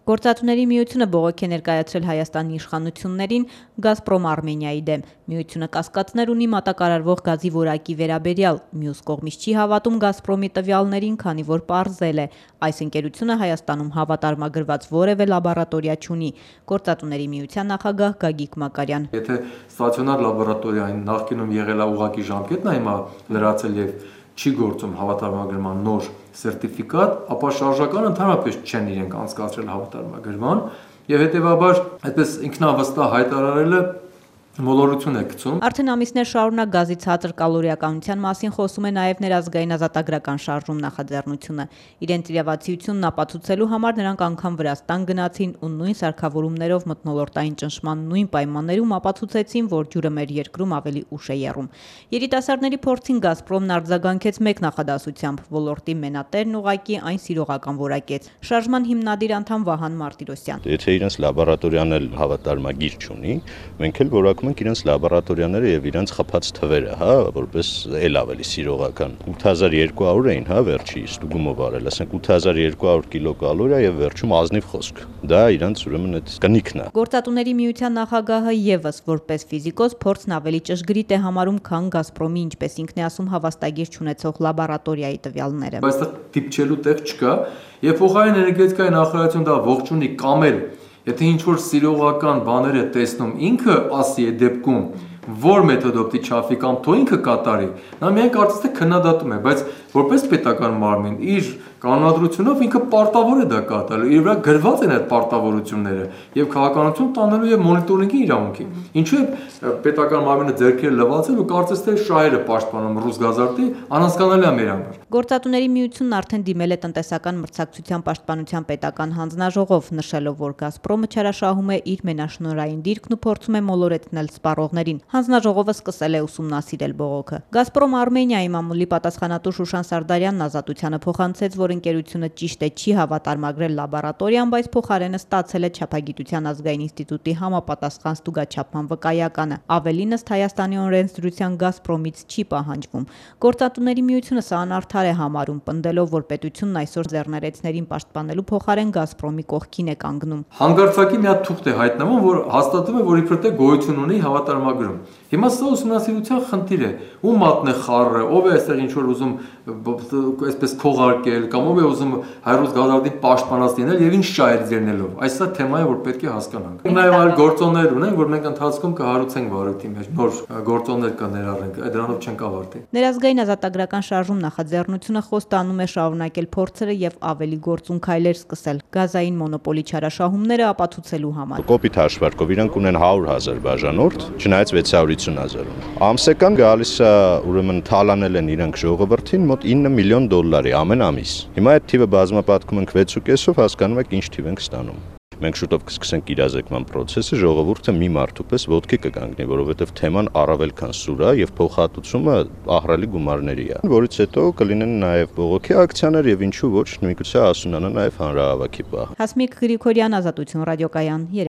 Գործատուների միությունը բողոք է ներկայացրել Հայաստանի իշխանություններին Գազպրոմ Արմենիայի դեմ։ Միությունը կասկածներ ունի մատակարարվող գազի որակի վերաբերյալ, մյուս կողմից չի հավատում Գազպրոմի տվյալներին, քանի որ պարզել է, այս ընկերությունը Հայաստանում հավատարմագրված որևէ լաբորատորիա չունի։ Գործատուների միության նախագահ Գագիկ Մակարյան. Եթե ստացիոնար լաբորատորիային նախկինում եղել է ուղղակի ժամկետն է հիմա լրացել եւ չի գործում հավատարմագրման նոր սերտիֆիկատ, ապա շարժականը ընդհանրապես չեն իրենք անցկացրել հավատարմագրման եւ հետեւաբար այդպես ինքնավստահ հայտարարելը մոլորություն է գցում։ Արդեն ամիսներ շարունակ գազի ցածր կալորիականության մասին խոսում է նաև ներազգային ազատագրական շարժում նախաձեռնությունը։ Իրենց իրավացիությունն ապացուցելու համար նրանք անգամ Վրաստան գնացին ու նույն սարքավորումներով մթնոլորտային ճնշման նույն պայմաններում ապացուցեցին, որ ջուրը մեր երկրում ավելի ուշ է եռում։ Երիտասարդների փորձին Գազպրոմն արձագանքեց մեկ նախադասությամբ՝ ոլորտի մենատերն ուղղակի այն սիրողական որակեց։ Շարժման հիմնադիր անդամ Վահան Մարտիրոսյան. Եթե իրենց լաբորատորիան էլ հավատարմագիր չունի, մենք էլ որակ իրենց լաբորատորիաները եւ իրենց խփած թվերը, որպես էլ ավելի սիրողական 8200 էին, վերջի ստուգումով արել, ասենք 8200 կիլոկալորիա եւ վերջում ազնիվ խոսք։ Դա իրենց ուրեմն այդ կնիքն է։ Գործատուների միության նախագահը եւս որպես ֆիզիկոս փորձն ավելի ճշգրիտ է համարում, քան Գազպրոմի, ինչպես ինքն է ասում, հավաստագիր չունեցող լաբորատորիայի տվյալները։ Բայց դա դիպչելու տեղ չկա, եւ փոխարեն էներգետիկայի նախարարությունը դա ողջունի կամ էլ եթե ինչ-որ սիրողական բաներ է տեսնում, ինքը ասի է դեպքում, որ մեթոդով դի չափի կամ թո ինքը կատարի, նա միայն կարծես թե քննադատում է, բայց որպես պետական մարմին իր կանոնադրությունով ինքը պարտավոր է դա կատարել, իր վրա գրված են այդ պարտավորությունները եւ քաղաքականություն տանելու եւ մոնիտորինգի իրավունքի։ Ինչու է պետական մարմինը ձեռքերը լվացել ու կարծես թե շահերը պաշտպանում Ռուսգազարտի, անհասկանալի է մեր համար։ Գործատուների միությունն արդեն դիմել է տնտեսական մրցակցության պաշտպանության պետական հանձնաժողով, նշելով, որ Գազպրոմը չարաշահում է իր մենաշնորհային դիրքն ու փորձում է մոլորեցնել սպառողներին։ Հանձնաժողովը սկսել է ուսումնասիրել բողոքը։ Գազպրոմ Արմենիայի մամուլի պատասխանատու Շուշան Սարդարյանն Ազատությանը փոխանցեց, որ ընկերությունը ճիշտ է չի հավատարմագրել լաբորատորիան, բայց փոխարենը ստացել է Չափագիտության ազգային ինստիտուտի համապատասխան ստուգաչափման վկայականը։ Ավելին, ըստ Հայաստանի օրենսդրության Գազպրոմից չի պահանջվում։ Գործատուների միությունը սա անարդար է համարում, պնդելով, որ պետությունն այսօր ձեռներեցներին պաշտպանելու փոխարեն Գազպրոմի կողքին է կանգնում։ Հանկարծակի մի հատ թուղթ է հայտնվում, որ հաստատում է, որ իբր թե գոյություն ունի հավատարմագրում։ Հիմա սա ուսումնասիրության խնդիր է։ Ում մատն է խառը, ով է այստեղ ինչ որ ուզում այսպես քողարկել, կամ ով է ուզում հայրուց գազարդին պաշտպանած լինել եւ ինչ շահեր ձեռնելով։ Այս սա թեմա է, որ պետք է հասկանանք։ Նաեւ այլ գործոններ ունենք, որ մենք ընթացքում կհարուցենք վարույթի մեջ, նոր գործոններ կներառենք, դրանով չենք ավարտի։ Ներազգային ազատագրական շարժում նախաձեռնությունը խոստանում է շարունակել փորձերը եւ ավելի գործուն քայլեր սկսել գազային մոնոպոլի չարաշահումները ապացուցելու համար։ Կոպիտ հաշվարկով իրանք ունեն 100,000 բաժանորդ, չնայած 650,000-ում։ Ամսական գալիս է, ուրեմն թալանել են իրանք ժողովրդին մոտ $9 միլիոն ամեն ամիս։ Հիմա այդ թիվը բազմապատկում ենք 6.5-ով, հասկանում եք ինչ թիվ ենք ստանում։ Մենք շուտով կսկսենք իրազեկման process-ը, ժողովուրդը մի մարդու պես ոտքի կգանգնի, որովհետև թեման առավել քան սուր է եւ փոխհատուցումը ահռելի գումարների է, որից հետո կլինեն նաեւ բողոքի ակցիաներ եւ ինչու ոչ, նույնիսկ ասունանա նաեւ հանրահավաքի պահ։ Հասմիկ Գրիգորյան, Ազատություն ռադիոկայան։